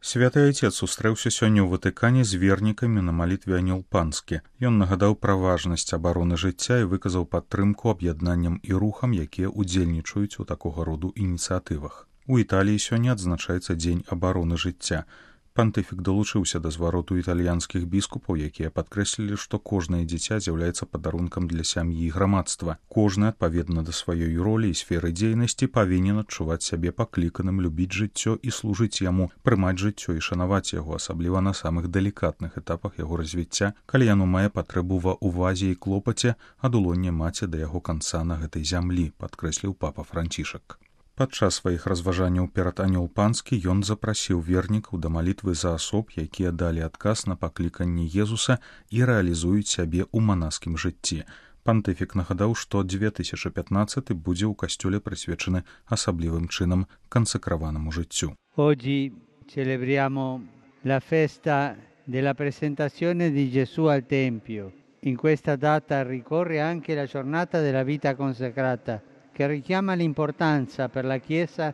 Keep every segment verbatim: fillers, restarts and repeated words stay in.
Святы Айцец сустрэўся сёння ў Ватыкане з вернікамі на малітве Анёл Панскі. Ён нагадаў пра важнасць абароны жыцця і выказаў падтрымку аб'яднанням і рухам, якія ўдзельнічаюць у такога роду ініцыятывах. У Італіі сёння адзначаецца дзень абароны жыцця. Пантыфік далучыўся да звароту італьянскіх біскупаў, якія падкрэслілі, што кожнае дзіця з'яўляецца падарункам для сям'і і грамадства. Кожны, адпаведна да сваёй ролі і сферы дзейнасці, павінен адчуваць сябе пакліканым любіць жыццё і служыць яму, прымаць жыццё і шанаваць яго, асабліва на самых далікатных этапах яго развіцця, калі яно мае патрэбу ва ўвазе і клопаце, ад улоння маці да яго канца на гэтай зямлі, падкрэсліў папа Францішак. Падчас сваіх разважанняў перад Анёл Панскі ён запрасіў вернікаў да малітвы за асоб, якія далі адказ на пакліканне Езуса і рэалізуюць сябе ў манаскім жыцці. Пантыфік нагадаў, што две тысячы пятнаццаты будзе ў касцёле прысвечаны асаблівым чынам кансакраванаму жыццю. Oggi celebriamo la festa della presentazione di Gesù al Tempio. In questa data ricorre anche la giornata della vita consacrata, che richiama l'importanza per la Chiesa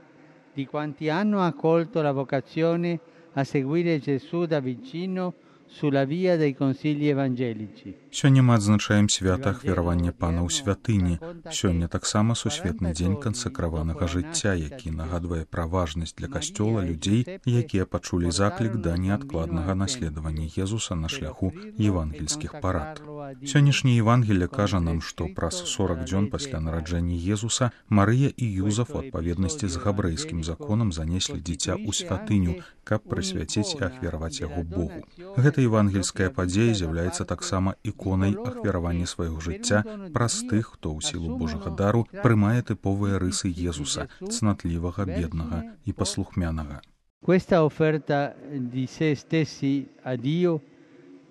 di quanti hanno accolto la vocazione a seguire Gesù da vicino sulla via dei consigli evangelici. Сёння мы адзначаем свята ахвяравання Пана ў святыні. Сёння таксама сусветны дзень кансакраванага жыцця, які нагадвае пра важнасць для касцёла людзей, якія пачулі заклік да неадкладнага наследавання Езуса на шляху евангельскіх парад. Сённяшняе Евангелле кажа нам, што праз сорак дзён пасля нараджэння Езуса Марыя і Юзаф у адпаведнасці з габрэйскім законам занеслі дзіця ў святыню, каб прысвяціць і ахвяраваць яго Богу. Гэта евангельская падзея з'яўляецца таксама іконай ахвяравання свайго жыцця праз тых, хто ў сілу Божага дару прымае тыповыя рысы Езуса, цнатлівага, беднага і паслухмянага. Questa offerta di se stessi a Dio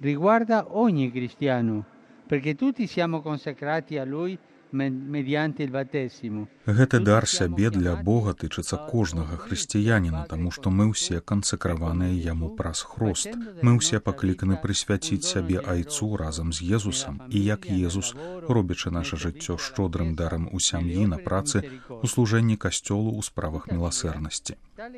riguarda ogni cristiano, perché tutti siamo consacrati a Lui mediante il battesimo. Гэты дар сябе для Бога тычыцца кожнага хрысціяніна, таму што мы ўсе кансакраваныя яму праз хрост. Мы ўсе пакліканы прысвяціць сябе Айцу разам з Езусам, і як Езус, робячы наша жыццё шчодрым дарам у сям'і, на працы, у служэнні касцёлу ў справах міласэрнасці.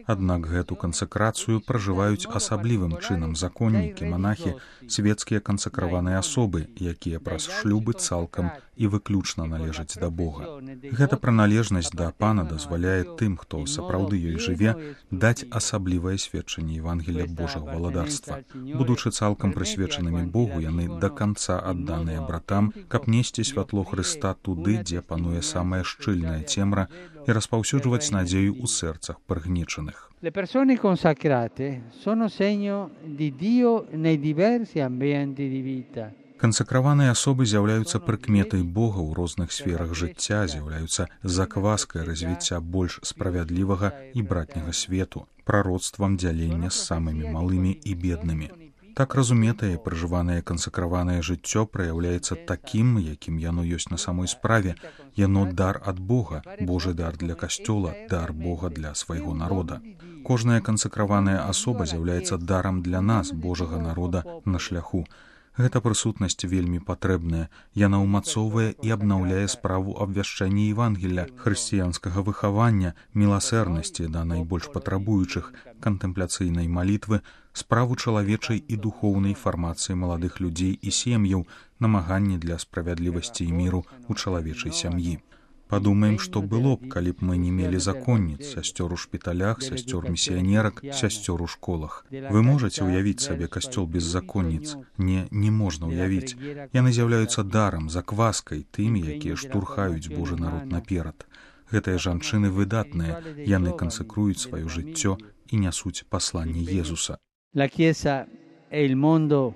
Аднак гэту кансакрацыю пражываюць асаблівым чынам законнікі, манахі, свецкія кансакраваныя асобы, якія праз шлюбы цалкам і выключна належаць да Бога. Гэта прыналежнасць да Пана дазваляе тым, хто сапраўды ёй жыве, даць асаблівае сведчанне Евангелля Божага валадарства. Будучы цалкам прысвечанымі Богу, яны да канца адданыя братам, каб несці святло Хрыста туды, дзе пануе самая шчыльная цемра, і распаўсюджваць надзею ў сэрцах прыгнечаных. Le persone consacrate sono segno di Dio nei diversi ambienti di vita. Кансакраваныя асобы з'яўляюцца прыкметай Бога ў розных сферах жыцця, з'яўляюцца закваскай развіцця больш справядлівага і братняга свету, прароцтвам дзялення з самымі малымі і беднымі. Так разуметае пражыванае кансакраванае жыццё праяўляецца такім, якім яно ёсць на самой справе. Яно дар ад Бога, Божы дар для касцёла, дар Бога для свайго народа. Кожная кансакраваная асоба з'яўляецца дарам для нас, Божага народа, на шляху. Гэта прысутнасць вельмі патрэбная. Яна ўмацоўвае і абнаўляе справу абвяшчэння Евангелля, хрысціянскага выхавання, міласэрнасці да найбольш патрабуючых, кантэмпляцыйнай малітвы, справу чалавечай і духоўнай фармацыі маладых людзей і сем'яў, намаганні для справядлівасці і міру ў чалавечай сям'і. Падумаем, што было б, калі б мы не мелі законніц, сясцёр у шпіталях, сясцёр місіянерак, сясцёр у школах. Вы можаце ўявіць сабе касцёл без законніц? Не, не можна ўявіць. Яны з'яўляюцца дарам, закваскай, тымі, якія штурхаюць Божы народ наперад. Гэтыя жанчыны выдатныя, яны кансакруюць сваё жыццё і нясуць пасланне Езуса. La Chiesa e il mondo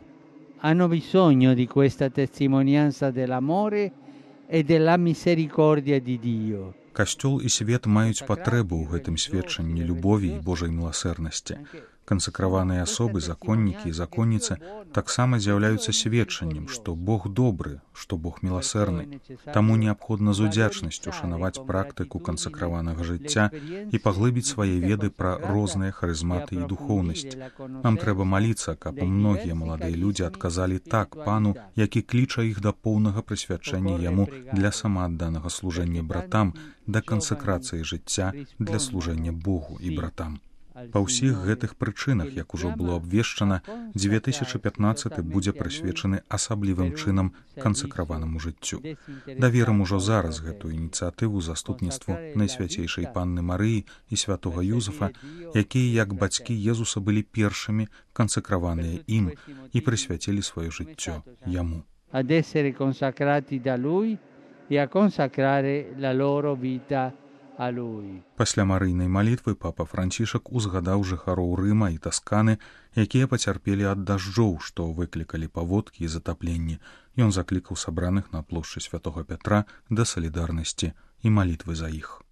hanno bisogno di questa testimonianza dell'amore e della misericordia di Dio. Касцёл і свет маюць патрэбу ў гэтым сведчанні любові і Божай міласэрнасці. Кансакраваныя асобы, законнікі і законніцы таксама з'яўляюцца сведчаннем, што Бог добры, што Бог міласэрны. Таму неабходна з удзячнасцю шанаваць практыку кансакраванага жыцця і паглыбіць свае веды пра розныя харызматы і духоўнасць. Нам трэба маліцца, каб многія маладыя людзі адказалі так Пану, які кліча іх да поўнага прысвячэння Яму для самаадданага служэння братам, да кансакрацыі жыцця для служэння Богу і братам. Па ўсіх гэтых прычынах, як ужо было абвешчана, две тысячы пятнаццаты будзе прысвечаны асаблівым чынам кансакраванаму жыццю. Даверым ужо зараз гэтую ініцыятыву заступніцтву Найсвяцейшай Панны Марыі і святога Юзефа, якія, як бацькі Езуса, былі першымі кансакраваныя ім і прысвяцілі сваё жыццё яму. Ad essere consacrati da lui e a consacrare la loro vita a lui. Пасля марыйнай малітвы папа Францішак узгадаў жыхароў Рыма і Тасканы, якія пацярпелі ад дажджоў, што выклікалі паводкі і затапленні. Ён заклікаў сабраных на плошчы святога Пятра да салідарнасці і малітвы за іх.